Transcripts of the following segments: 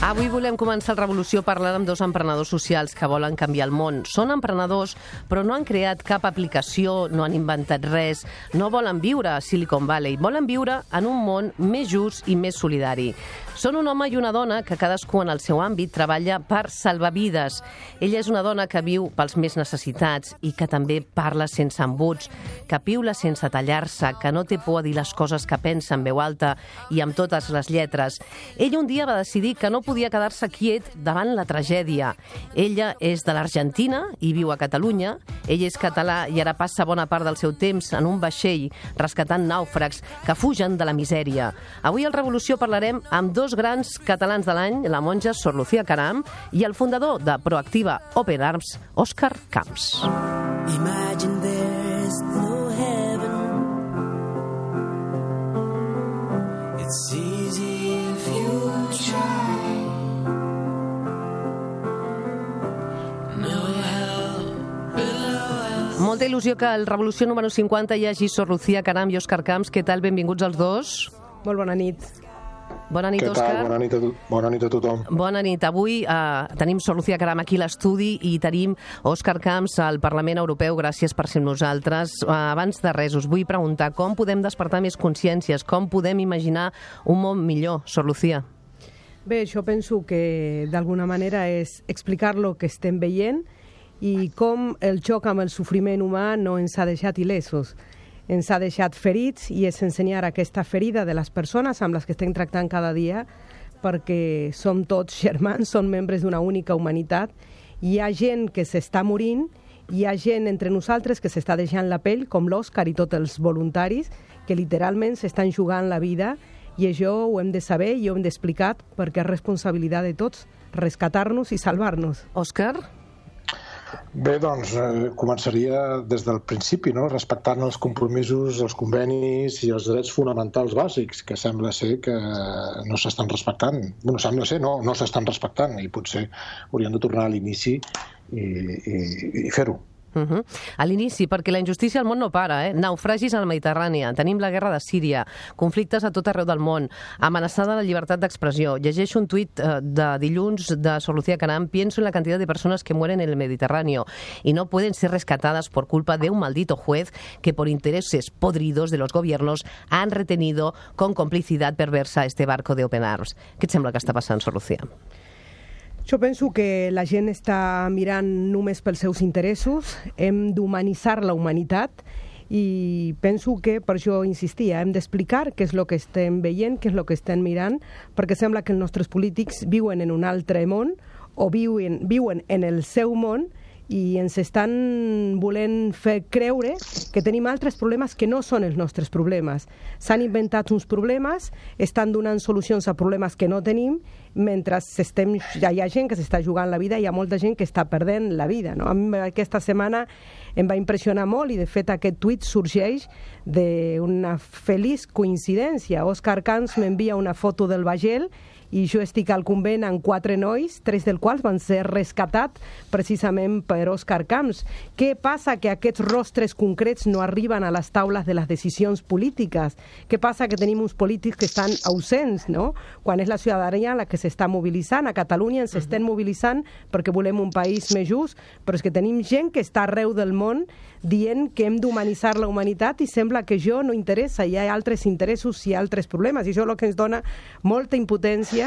Avui volem començar el Revolució parlant amb dos emprenedors socials que volen canviar el món. Són emprenedors, però no han creat cap aplicació, no han inventat res, no volen viure a Silicon Valley, volen viure en un món més just i més solidari. Són un home i una dona que cadascú en el seu àmbit treballa per salvar vides. Ella és una dona que viu pels més necessitats i que també parla sense embuts, que piula sense tallar-se, que no té por a dir les coses que pensa en veu alta i amb totes les lletres. Ella un dia va decidir que no podia quedar-se quiet davant la tragèdia. Ella és de l'Argentina i viu a Catalunya. Ell és català i ara passa bona part del seu temps en un vaixell rescatant nàufrags que fugen de la misèria. Avui al Revolució parlarem amb dos grans catalans de l'any, la monja Sor Lucía Caram i el fundador de Proactiva Open Arms, Òscar Camps. Imagine there's no heaven. It's easy if you try. No hell below us. Molta il·lusió que al Revolució número 50 hi hagi Sor Lucía Caram i Òscar Camps. Què tal? Benvinguts els dos. Molt bona nit. Bona nit, Òscar. Què tal? Bona nit a tothom. Bona nit. Avui tenim Sor Lucía Caram aquí a l'estudi i tenim Òscar Camps al Parlament Europeu. Gràcies per ser amb nosaltres. Abans de res, us vull preguntar com podem despertar més consciències, com podem imaginar un món millor, Sor Lucía? Bé, jo penso que d'alguna manera és explicar lo que estem veient i com el xoc amb el sofriment humà no ens ha deixat il·lesos. Ens ha deixat ferits i és ensenyar aquesta ferida de les persones amb les que estem tractant cada dia, perquè som tots germans, som membres d'una única humanitat. Hi ha gent que s'està morint, hi ha gent entre nosaltres que s'està deixant la pell, com l'Òscar i tots els voluntaris, que literalment s'estan jugant la vida, i això ho hem de saber i ho hem d'explicar perquè és responsabilitat de tots, rescatar-nos i salvar-nos. Òscar? Bé, doncs, començaria des del principi, no? Respectant els compromisos, els convenis i els drets fonamentals bàsics, que sembla ser que no s'estan respectant. Bueno, sembla ser, no s'estan respectant, i potser hauríem de tornar a l'inici i fer-ho. A l'inici, perquè la injustícia al món no para, naufragis a la Mediterrània, tenim la guerra de Síria, conflictes a tot arreu del món, amenaçada la llibertat d'expressió. Llegeixo un tuit de dilluns de Sor Lucía Caram: pienso en la cantidad de personas que mueren en el Mediterráneo y no pueden ser rescatadas por culpa de un maldito juez que por intereses podridos de los gobiernos han retenido con complicidad perversa este barco de Open Arms. Què et sembla que està passant, Sor Lucía? Jo penso que la gent està mirant només pels seus interessos, hem d'humanitzar la humanitat i penso que, per això insistia, hem d'explicar què és el que estem veient, què és el que estem mirant, perquè sembla que els nostres polítics viuen en un altre món o viuen en el seu món i ens estan volent fer creure que tenim altres problemes que no són els nostres problemes. S'han inventat uns problemes, estan donant solucions a problemes que no tenim, mentre hi ha gent que s'està jugant la vida i hi ha molta gent que està perdent la vida. No? A mi aquesta setmana em va impressionar molt i, de fet, aquest tuit sorgeix d'una feliç coincidència. Òscar Camps m'envia una foto del vaixell i jo estic al convent amb 4 nois, 3 dels quals van ser rescatats precisament per Òscar Camps. Què passa? Que aquests rostres concrets no arriben a les taules de les decisions polítiques. Què passa? Que tenim uns polítics que estan ausents, no? Quan és la ciutadania la que s'està mobilitzant. A Catalunya ens estem mobilitzant perquè volem un país més just, però és que tenim gent que està arreu del món dient que hem d'humanitzar la humanitat i sembla que això no interessa. Hi ha altres interessos i altres problemes i això és el que ens dona molta impotència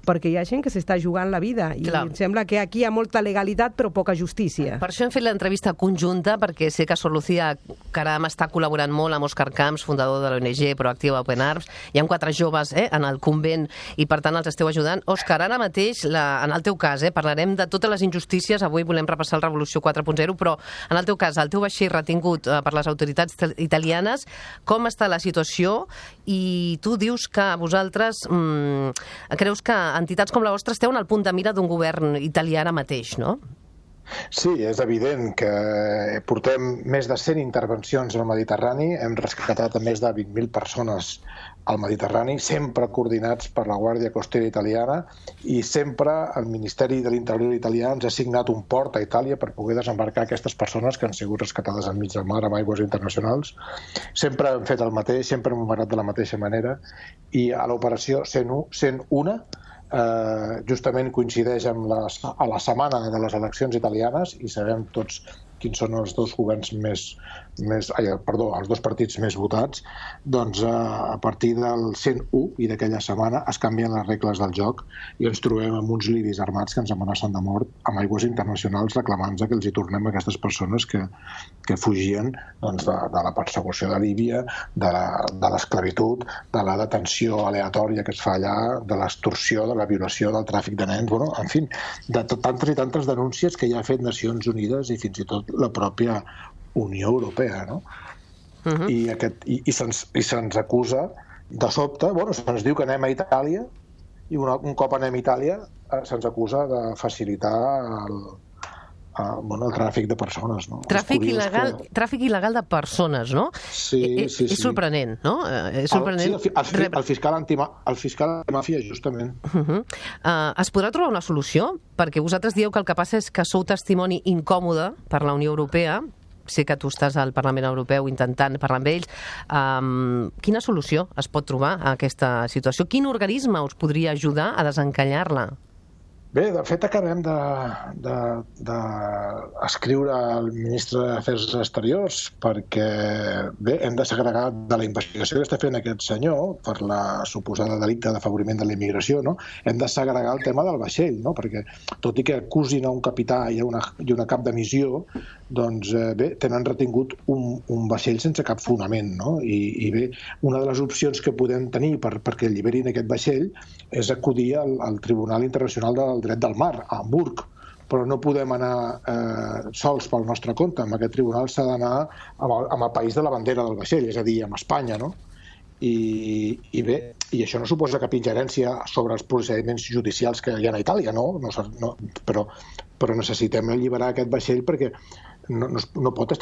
perquè hi ha gent que s'està jugant la vida i em sembla que aquí hi ha molta legalitat però poca justícia. Per això hem fet l'entrevista conjunta, perquè sé que Sor Lucía Caram està col·laborant molt amb Òscar Camps, fundador de l'ONG Proactiva Open Arms. Hi ha 4 joves en el convent i per tant els esteu ajudant. Òscar, ara mateix, en el teu cas, parlarem de totes les injustícies. Avui volem repassar el Revolució 4.0, però en el teu cas, el teu vaixell retingut per les autoritats italianes, com està la situació? I tu dius que vosaltres creus que entitats com la vostra esteu en el punt de mira d'un govern italià ara mateix, no? Sí, és evident que portem més de 100 intervencions al Mediterrani, hem rescatat a més de 20.000 persones al Mediterrani, sempre coordinats per la Guàrdia Costera italiana, i sempre el Ministeri de l'Interior italià ens ha assignat un port a Itàlia per poder desembarcar aquestes persones que han sigut rescatades enmig del mar amb aigües internacionals. Sempre hem fet el mateix, sempre hem operat de la mateixa manera, i a l'operació 101 justament coincideix amb a la setmana de les eleccions italianes i sabem tots quins són els dos governs els dos partits més votats, doncs a partir del 101 i d'aquella setmana es canvien les regles del joc i ens trobem amb uns liris armats que ens amenacen de mort amb aigües internacionals reclamant que els hi tornem a aquestes persones que fugien doncs, de la persecució de Líbia, de l'esclavitud, de la detenció aleatòria que es fa allà, de l'extorsió, de la violació, del tràfic de nens, bueno, en fi, de tantes i tantes denúncies que ja ha fet Nacions Unides i fins i tot la pròpia Unió Europea, no? I se'ns acusa de sobte, bueno, se'ns diu que anem a Itàlia i un cop anem a Itàlia se'ns acusa de facilitar el tràfic de persones, no? Tràfic il·legal de persones, no? Sí. És sorprenent, no? És sorprenent. El fiscal antimàfia, justament. Es podrà trobar una solució? Perquè vosaltres dieu que el que passa és que sou testimoni incòmode per la Unió Europea. Sé que tu estàs al Parlament Europeu intentant parlar amb ells. Quina solució es pot trobar a aquesta situació? Quin organisme us podria ajudar a desencallar-la? Bé, de fet acabem d'escriure al ministre d'Afers Exteriors perquè hem de segregar de la investigació que està fent aquest senyor per la suposada delicte d'afavoriment de la immigració, no? Hem de segregar el tema del vaixell, no? Perquè tot i que acusin a un capità i una cap de missió, doncs tenen retingut un vaixell sense cap fonament, no? I bé, una de les opcions que podem tenir perquè alliberin aquest vaixell és acudir al Tribunal Internacional del Dret del Mar, a Hamburg, però no podem anar sols pel nostre compte. Amb aquest tribunal s'ha d'anar amb el país de la bandera del vaixell, és a dir, amb Espanya, no? I això no suposa cap ingerència sobre els procediments judicials que hi ha a Itàlia, no? Però necessitem alliberar aquest vaixell perquè no pot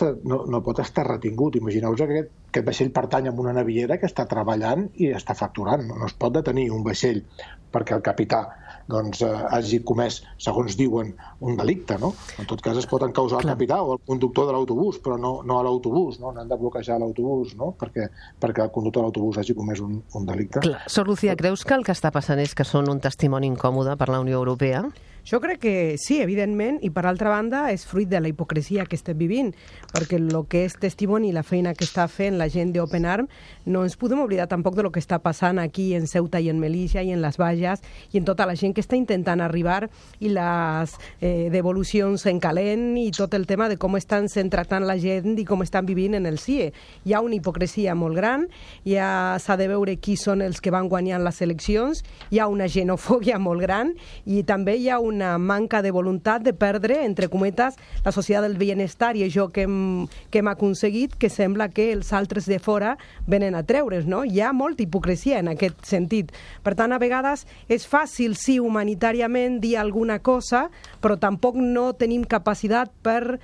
estar retingut. Imagineu-vos que aquest vaixell pertany a una naviera que està treballant i està facturant. No es pot detenir un vaixell perquè el capità hagi comès, segons diuen, un delicte, no? En tot cas es pot encausar el capità o el conductor de l'autobús, però no a l'autobús, no? N'han de bloquejar l'autobús, no? Perquè el conductor de l'autobús hagi comès un delicte. Clar. Sor Lucía, creus que el que està passant és que són un testimoni incòmode per la Unió Europea? Jo crec que sí, evidentment, i per altra banda és fruit de la hipocresia que estem vivint, perquè el que és testimoni i la feina que està fent la gent d'Open Arms, no ens podem oblidar tampoc de lo que està passant aquí en Ceuta i en Melilla i en les Bages i en tota la gent que està intentant arribar i les devolucions en calent i tot el tema de com estan sent tractant la gent i com estan vivint en el CIE. Hi ha una hipocresia molt gran, ja s'ha de veure qui són els que van guanyant les eleccions, hi ha una xenofòbia molt gran i també hi ha una manca de voluntat de perdre, entre cometes, la societat del benestar i això que hem aconseguit, que sembla que els altres de fora venen a treure's, no? Hi ha molta hipocresia en aquest sentit. Per tant, a vegades és fàcil, sí, humanitàriament dir alguna cosa, però tampoc no tenim capacitat per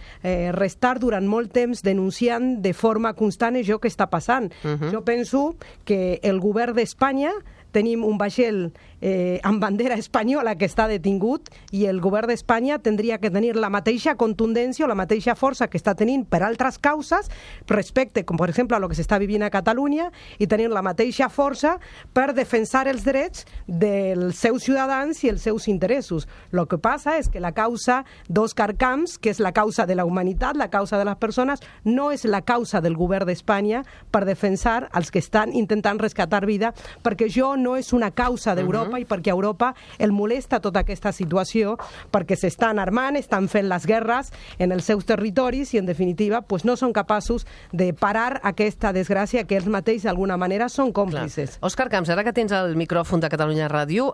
restar durant molt temps denunciant de forma constant això que està passant. Jo penso que el govern d'Espanya tenim un vaixell amb bandera espanyola que està detingut i el govern d'Espanya tindria que tenir la mateixa contundència o la mateixa força que està tenint per altres causes respecte, com per exemple, a lo que s'està vivint a Catalunya i tenir la mateixa força per defensar els drets dels seus ciutadans i els seus interessos. El que passa és que la causa d'Òscar Camps, que és la causa de la humanitat, la causa de les persones, no és la causa del govern d'Espanya per defensar els que estan intentant rescatar vida, perquè això no és una causa d'Europa i perquè a Europa el molesta tota aquesta situació, perquè s'estan armant, estan fent les guerres en els seus territoris i, en definitiva, pues no són capaços de parar aquesta desgràcia que ells mateixos, d'alguna manera, són còmplices. Òscar Camps, ara que tens el micròfon de Catalunya Ràdio,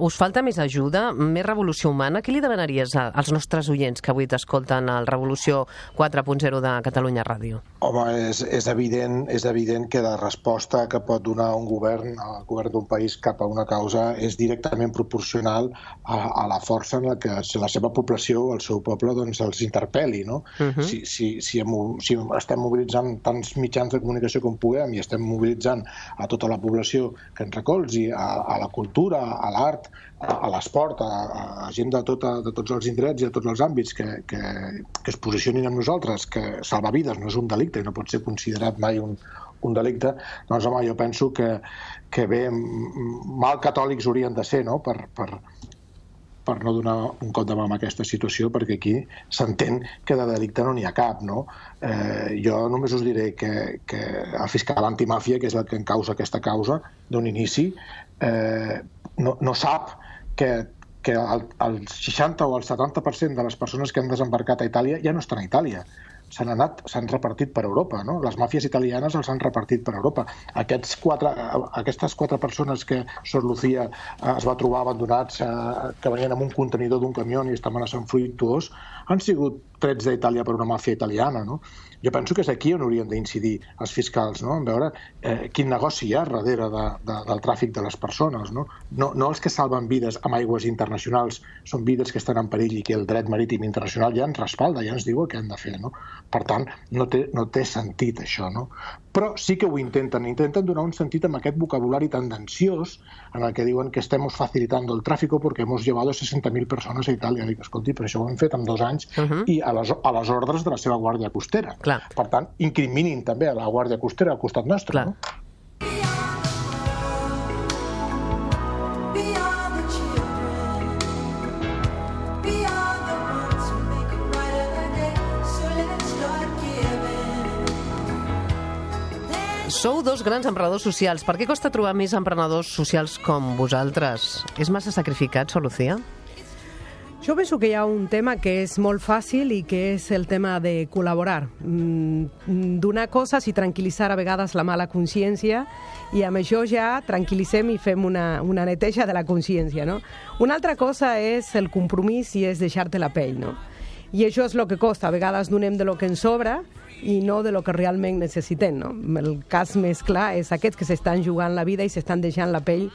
us falta més ajuda, més revolució humana? Què li demanaries als nostres oients que avui t'escolten al Revolució 4.0 de Catalunya Ràdio? Home, és evident que la resposta que pot donar un govern, el govern d'un país cap a una causa, és directament proporcional a la força en la que la seva població o el seu poble els interpel·li, no? Si estem mobilitzant tants mitjans de comunicació com puguem i estem mobilitzant a tota la població que ens recolzi, a la cultura, a l'art, a l'esport, a gent de tots els indrets i de tots els àmbits que es posicionin amb nosaltres, que salvar vides no és un delicte i no pot ser considerat mai un un delicte, doncs home, jo penso que bé, mal catòlics haurien de ser, no?, per no donar un cop de mà en aquesta situació, perquè aquí s'entén que de delicte no n'hi ha cap, no? Jo només us diré que el fiscal antimàfia, que és el que encausa aquesta causa d'un inici, no sap que el 60 o el 70% de les persones que han desembarcat a Itàlia ja no estan a Itàlia. S'han repartit per Europa, no? Les màfies italianes els han repartit per Europa. Aquestes 4 persones que Sor Lucía es va trobar abandonats, que venien amb un contenidor d'un camió i estaven a Sant Fruituós, han sigut trets d'Itàlia per una màfia italiana, no? Jo penso que és aquí on haurien d'incidir els fiscals, no? En veure quin negoci hi ha darrere del tràfic de les persones, no? No els que salven vides amb aigües internacionals, són vides que estan en perill i que el dret marítim internacional ja ens respalda, ja ens diu el que han de fer, no? Per tant, no té sentit això, no? Però sí que ho intenten donar un sentit amb aquest vocabulari tendenciós en el que diuen que estem facilitando el tráfico porque hemos llevado 60.000 persones a Itàlia. Dic, escolti, però això ho hem fet en 2 anys i a les ordres de la seva Guàrdia Costera. Clar. Per tant, incriminin també a la Guàrdia Costera al costat nostre, clar, no? Sou 2 grans emprenedors socials. Per què costa trobar més emprenedors socials com vosaltres? És massa sacrificat, Sor Lucía? Jo penso que hi ha un tema que és molt fàcil i que és el tema de col·laborar. Donar coses i tranquil·litzar a vegades la mala consciència, i amb això ja tranquil·litzem i fem una neteja de la consciència, no? Una altra cosa és el compromís i és deixar-te la pell, no? I això és el que costa. A vegades donem de lo que ens sobra i no de lo que realment necessitem, no? El cas més clar és aquests que s'estan jugant la vida i s'estan deixant la pell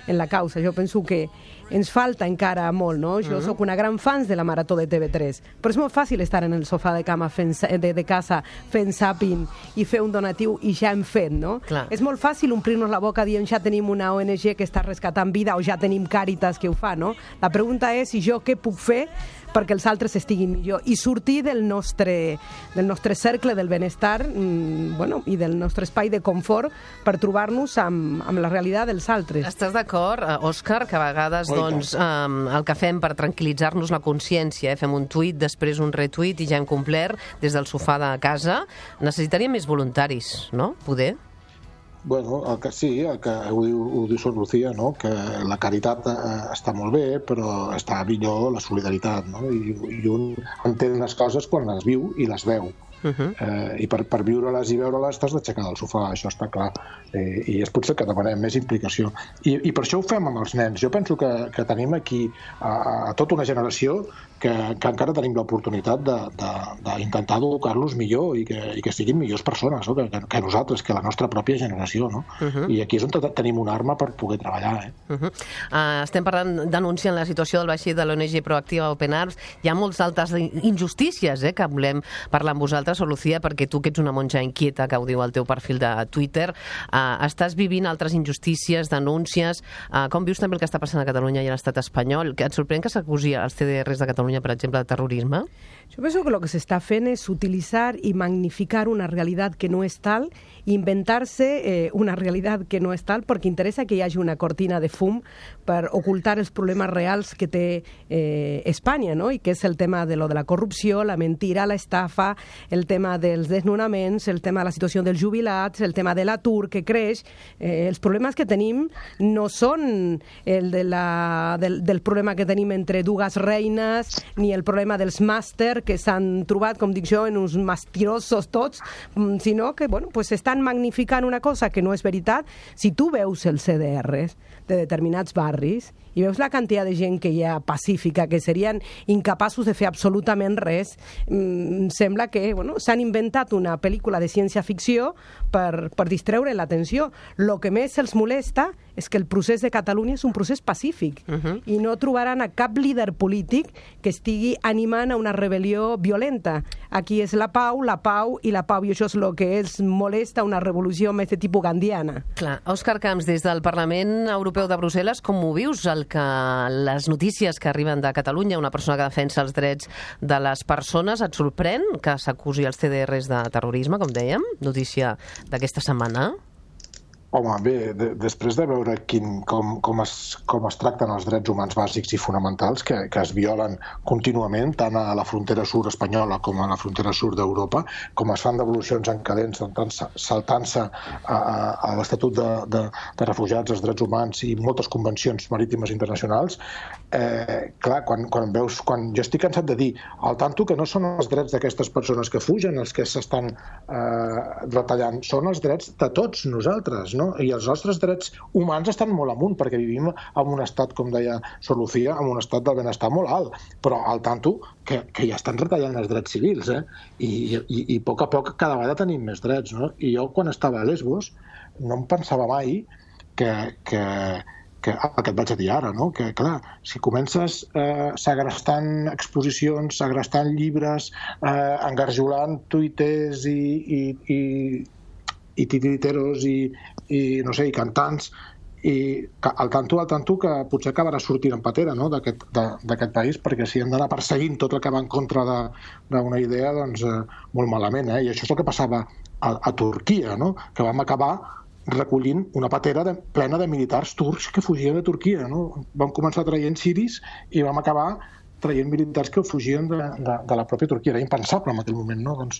en la causa. Jo penso que ens falta encara molt, no? Jo sóc una gran fan de la Marató de TV3, però és molt fàcil estar en el sofà de cama de casa fent zapping i fer un donatiu i ja hem fet, no? Clar. És molt fàcil omplir-nos la boca dient ja tenim una ONG que està rescatant vida o ja tenim Càritas que ho fa, no? La pregunta és si jo què puc fer perquè els altres estiguin millor i sortir del nostre cercle del benestar i del nostre espai de confort per trobar-nos amb la realitat dels altres. Estàs d'acord, Òscar, que a vegades el que fem per tranquil·litzar-nos la consciència, fem un tuit, després un retuit i ja hem complert des del sofà de casa, necessitaríem més voluntaris, no? Poder? Bueno, el que ho diu Sor Lucía, no? Que la caritat està molt bé, però està millor la solidaritat, no? I un entén les coses quan les viu i les veu. I per viure-les i veure-les t'has d'aixecar del sofà, això està clar, i és potser que demanem més implicació i per això ho fem amb els nens. Jo penso que tenim aquí a tota una generació que encara tenim l'oportunitat d'intentar educar-los millor i que siguin millors persones, no? que nosaltres, que la nostra pròpia generació, no? I aquí és on tenim una arma per poder treballar. Estem denunciant la situació del vaixell de l'ONG Proactiva Open Arms. Hi ha moltes altres injustícies que volem parlar amb vosaltres, Sor Lucía, perquè tu, que ets una monja inquieta, que ho diu al teu perfil de Twitter, estàs vivint altres injustícies, denúncies. Com vius també el que està passant a Catalunya i a l'estat espanyol? Et sorprèn que s'acusi als CDRs de Catalunya, per exemple, de terrorisme? Yo pienso que lo que se está haciendo es utilizar y magnificar una realidad que no es tal, inventarse una realidad que no és tal, perquè interessa que hi hagi una cortina de fum per ocultar els problemes reals que té Espanya, no? I que és el tema de lo de la corrupció, la mentira, la estafa, el tema dels desnonaments, el tema de la situació dels jubilats, el tema de l'atur que creix. Els problemes que tenim no són el del problema que tenim entre dues reines, ni el problema dels màsters que s'han trobat, com dic jo, en uns mentirosos tots, sinó que, bueno, pues estan magnificant una cosa que no és veritat. Si tu veus els CDRs de determinats barris i veus la quantitat de gent que hi ha pacífica, que serien incapaços de fer absolutament res, sembla que, bueno, s'han inventat una pel·lícula de ciència-ficció per distreure l'atenció. Lo que més els molesta és que el procés de Catalunya és un procés pacífic i no trobaran a cap líder polític que estigui animant a una rebel·lió violenta. Aquí és la pau i la pau, i això és el que els molesta, una revolució més de tipus gandiana. Clar. Òscar Camps, des del Parlament Europeu de Brussel·les, com ho vius, les notícies que arriben de Catalunya, una persona que defensa els drets de les persones, et sorprèn que s'acusi els CDRs de terrorisme, com dèiem? Notícia d'aquesta setmana? Home, bé, després de veure com es tracten els drets humans bàsics i fonamentals que es violen contínuament, tant a la frontera sud espanyola com a la frontera sud d'Europa, com es fan devolucions en cadents, saltant-se a l'Estatut de Refugiats, els drets humans i moltes convencions marítimes internacionals, clar, quan jo estic cansat de dir al tanto que no són els drets d'aquestes persones que fugen els que s'estan retallant, són els drets de tots nosaltres, no? I els nostres drets humans estan molt amunt, perquè vivim en un estat, com deia Sor Lucía, en un estat del benestar molt alt, però al tanto que ja estan retallant els drets civils, i a poc cada vegada tenim més drets, no? I jo, quan estava a Lesbos, no em pensava mai que el que et vaig a dir ara, no? Que, clar, si comences segrestant exposicions, segrestant llibres, engarjolant tuiters i titiriteros i no sé, i cantants, i al tanto que potser acabarà sortint en patera, no?, d'aquest país, perquè si hem d'anar perseguint tot el que va en contra d'una idea, doncs molt malament, I això és el que passava a Turquia, no?, que vam acabar recollint una patera plena de militars turcs que fugien de Turquia, no? Vam començar traient siris i vam acabar traient militars que fugien de la pròpia Turquia. Era impensable en aquell moment, no? Doncs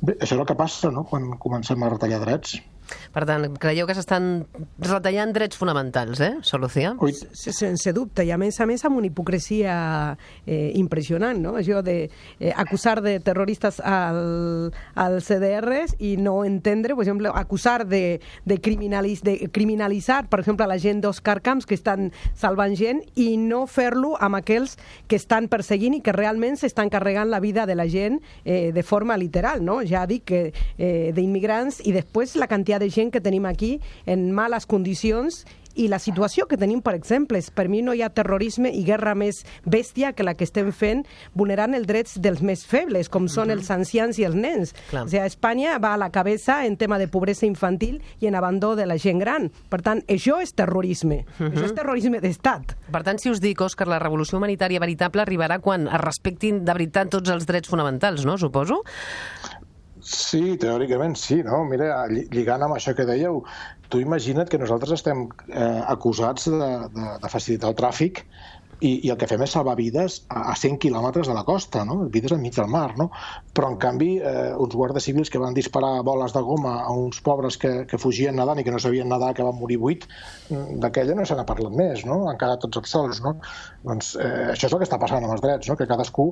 bé, això és el que passa, no?, quan comencem a retallar drets. Per tant, creieu que s'estan retallant drets fonamentals, Sor Lucía? Sense dubte, i a més amb una hipocresia impressionant, no? Això d'acusar de terroristes als CDRs i no entendre, per exemple, acusar de criminalitzar, per exemple, la gent d'Òscar Camps que estan salvant gent i no fer-lo amb aquells que estan perseguint i que realment s'estan carregant la vida de la gent de forma literal, no? Ja dic que d'immigrants i després la quantitat de gent que tenim aquí en males condicions i la situació que tenim, per exemple, per mi no hi ha terrorisme i guerra més bèstia que la que estem fent vulnerant els drets dels més febles, com són els ancians i els nens. O sigui, Espanya va a la cabeza en tema de pobresa infantil i en abandó de la gent gran. Per tant, això és terrorisme. Això és terrorisme d'estat. Per tant, si us dic, Òscar, la revolució humanitària veritable arribarà quan es respectin de veritat tots els drets fonamentals, no? Suposo? Sí, teòricament sí, no? Mira, lligant amb això que dèieu, tu imagina't que nosaltres estem acusats de facilitar el tràfic i el que fem és salvar vides a 100 quilòmetres de la costa, no? Vides enmig del mar, no? Però, en canvi, uns guàrdies civils que van disparar boles de goma a uns pobres que fugien nedant i que no sabien nedar, que van morir 8, d'aquella no se n'ha parlat més, no? Han quedat tots els sols, no? Doncs això és el que està passant amb els drets, no? Que cadascú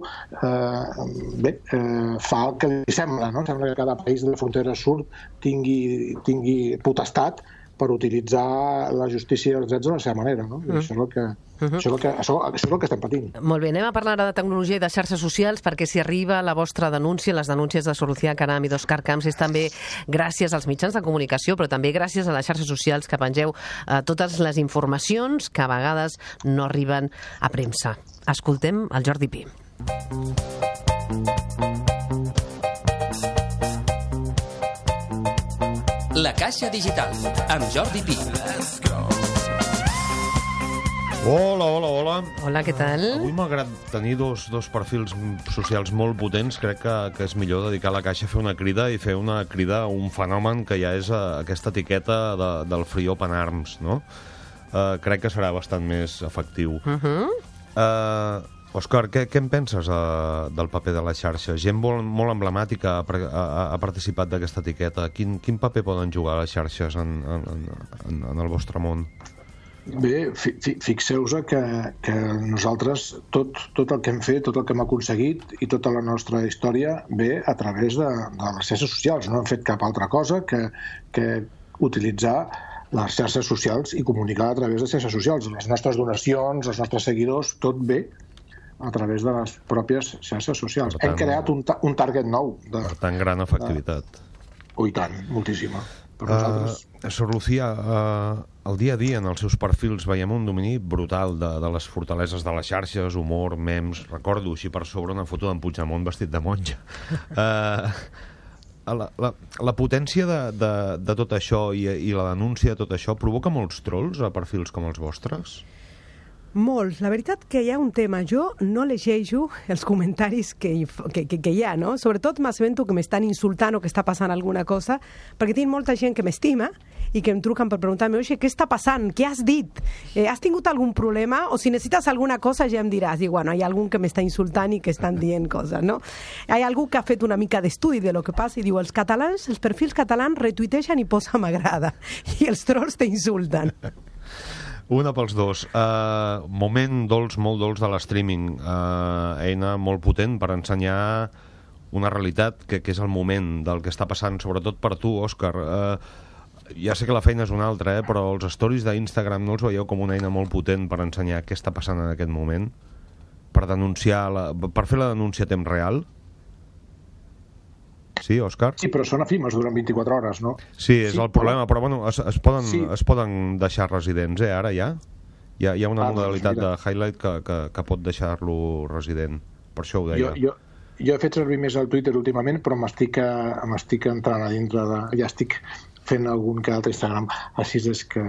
fa el que li sembla, no? Sembla que cada país de la frontera sud tingui potestat per utilitzar la justícia i els drets de la seva manera, no? Això és el que estem patint. Molt bé, anem a parlar de tecnologia i de xarxes socials, perquè si arriba la vostra denúncia, les denúncies de Sor Lucía Caram i d'Òscar Camps, és també gràcies als mitjans de comunicació, però també gràcies a les xarxes socials que pengeu totes les informacions que a vegades no arriben a premsa. Escoltem el Jordi Pi. La Caixa Digital, amb Jordi Pi. Hola. Hola, què tal? Avui, malgrat tenir dos perfils socials molt potents, crec que és millor dedicar la Caixa a fer una crida i fer una crida a un fenomen que ja és aquesta etiqueta del Free Open Arms, no? Crec que serà bastant més efectiu. Òscar, què en penses del paper de la xarxa? Gent molt emblemàtica ha participat d'aquesta etiqueta. Quin paper poden jugar les xarxes en el vostre món? Bé, fixeu-vos que nosaltres tot el que hem fet, tot el que hem aconseguit i tota la nostra història ve a través de les xarxes socials. No hem fet cap altra cosa que utilitzar les xarxes socials i comunicar a través de xarxes socials. Les nostres donacions, els nostres seguidors, tot ve a través de les pròpies xarxes socials. Hem creat un target nou. Per tant, gran efectivitat. I tant, moltíssima. Per nosaltres... Sor Lucía, el dia a dia en els seus perfils veiem un domini brutal de les fortaleses de les xarxes, humor, memes, recordo així per sobre una foto d'en Puigdemont vestit de monja. La potència de tot això i la denúncia de tot això provoca molts trolls a perfils com els vostres? Molts. La veritat que hi ha un tema. Jo no llegeixo els comentaris que hi ha, no? Sobretot m'assabento que m'estan insultant o que està passant alguna cosa, perquè tinc molta gent que m'estima i que em truquen per preguntar-me, oye, què està passant? Què has dit? Has tingut algun problema? O si necessites alguna cosa ja em diràs. I bueno, hi ha algun que m'està insultant i que estan dient coses, no? Hi ha algú que ha fet una mica d'estudi de lo que passa i diu, els catalans, els perfils catalans retuitegen i posa m'agrada. I els trolls t'insulten. Una pels dos. Moment dolç, molt dolç de l'streaming. Eina molt potent per ensenyar una realitat que és el moment del que està passant, sobretot per tu, Òscar. Ja sé que la feina és una altra, però els stories d'Instagram no els veieu com una eina molt potent per ensenyar què està passant en aquest moment? Per denunciar, per fer la denúncia a temps real? Sí, Òscar? Sí, però són efímers durant 24 hores, no? Sí, és el problema, però bueno, es poden deixar residents, ara ja? Hi ha una modalitat de highlight que pot deixar-lo resident, per això ho deia. Jo he fet servir més el Twitter últimament, però m'estic entrant a dintre ja estic fent algun que altre Instagram, així és que...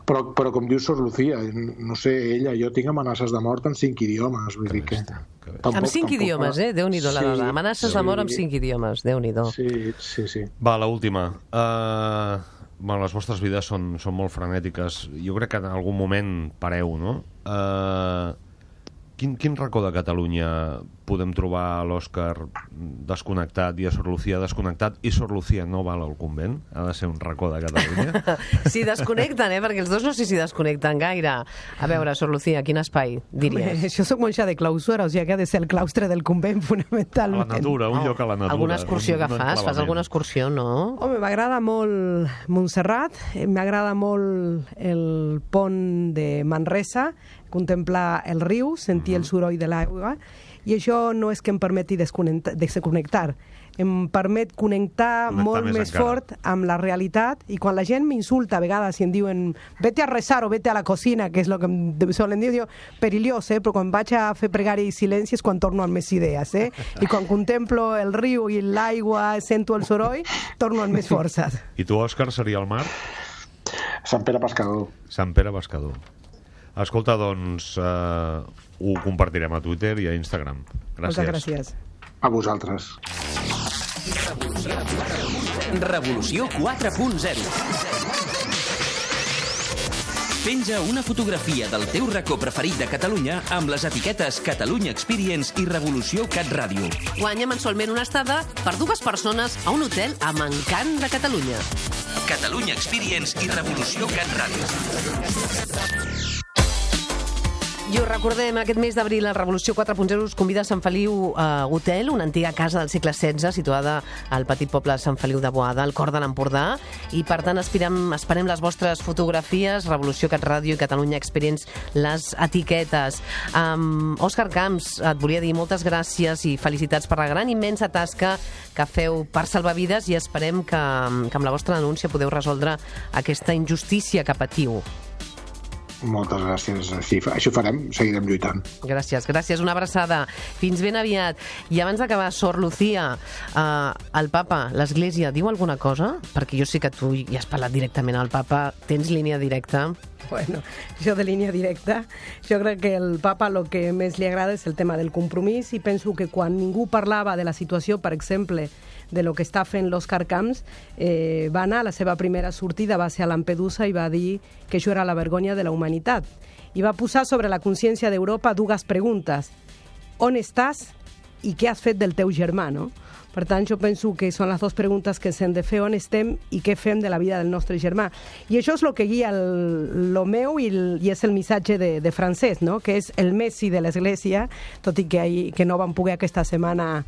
Però com diu Sor Lucía, no sé, ella, jo tinc amenaces de mort en 5 idiomes, vull dir que... Amb 5 idiomes, Déu-n'hi-do, la dona. Amenaces de mort amb 5 idiomes, Déu-n'hi-do. Sí. Va, l'última. Les vostres vides són molt frenètiques. Jo crec que en algun moment pareu, no? Quin racó de Catalunya podem trobar l'Òscar desconnectat i a Sor Lucía desconnectat i Sor Lucía no val al convent? Ha de ser un racó de Catalunya? Sí, desconnecten, perquè els dos no sé si desconnecten gaire. A veure, Sor Lucía, quin espai diries? Jo soc monja de clausura, o sigui que ha de ser el claustre del convent, fonamentalment. A la natura, un lloc a la natura. Alguna excursió que fas? Fas alguna excursió, no? Home, m'agrada molt Montserrat, m'agrada molt el pont de Manresa, contemplar el riu, sentir el soroll de l'aigua, i això no és que em permeti desconnectar, em permet connectar molt més fort amb la realitat, i quan la gent m'insulta a vegades i em diuen vete a rezar o vete a la cocina, que és el que em solen dir, diu, perillós, però quan vaig a fer pregària i silenci és quan torno amb més idees, i quan contemplo el riu i l'aigua, sento el soroll, torno amb més forces. I tu, Òscar, seria el mar? Sant Pere Pescador. Sant Pere Pescador. Escolta, doncs, ho compartirem a Twitter i a Instagram. Gràcies. Moltes gràcies. A vosaltres. Revolució 4.0. Penja una fotografia del teu racó preferit de Catalunya amb les etiquetes Catalunya Experience i Revolució Cat Ràdio. Guanya mensualment una estada per 2 persones a un hotel amb encant de Catalunya. Catalunya Experience i Revolució Cat Ràdio. I us recordem, aquest mes d'abril la Revolució 4.0 us convida a Sant Feliu Hotel, una antiga casa del segle XVI situada al petit poble de Sant Feliu de Boada, al cor de l'Empordà, i per tant esperem les vostres fotografies, Revolució Cat Ràdio i Catalunya Experience, les etiquetes. Òscar Camps, et volia dir moltes gràcies i felicitats per la gran immensa tasca que feu per salvar vides, i esperem que amb la vostra denúncia podeu resoldre aquesta injustícia que patiu. Moltes gràcies. Sí, això farem, seguirem lluitant. Gràcies, una abraçada. Fins ben aviat. I abans d'acabar, Sor Lucía, el papa, l'Església, diu alguna cosa? Perquè jo sé que tu ja has parlat directament al papa. Tens línia directa? Bueno, jo de línia directa, jo crec que el papa el que més li agrada és el tema del compromís, i penso que quan ningú parlava de la situació, per exemple, de lo que està fent l'Òscar Camps, va anar, la seva primera sortida va ser a Lampedusa i va dir que això era la vergonya de la humanitat. I va posar sobre la consciència d'Europa 2 preguntes. On estàs i què has fet del teu germà, no? Per tant, jo penso que són les 2 preguntes que s'hem de fer: on estem i què fem de la vida del nostre germà. I això és el que guia el meu i és el missatge de Francesc, no? Que és el Messi de l'Església, tot i que no vam poder aquesta setmana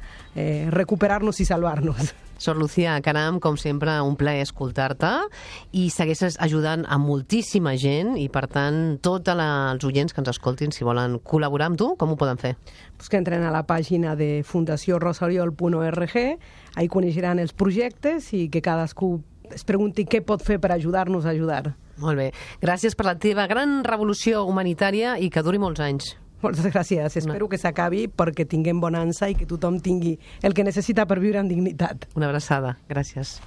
recuperar-nos i salvar-nos. Sor Lucía, caram, com sempre, un plaer escoltar-te, i segueixes ajudant a moltíssima gent, i per tant, tots els oients que ens escoltin, si volen col·laborar amb tu, com ho poden fer? Pues que entren a la pàgina de fundaciorosariol.org, ahí coneixeran els projectes i que cadascú es pregunti què pot fer per ajudar-nos a ajudar. Molt bé. Gràcies per la teva gran revolució humanitària i que duri molts anys. Moltes gràcies. Espero que s'acabi perquè tinguem bonança i que tothom tingui el que necessita per viure amb dignitat. Una abraçada. Gràcies.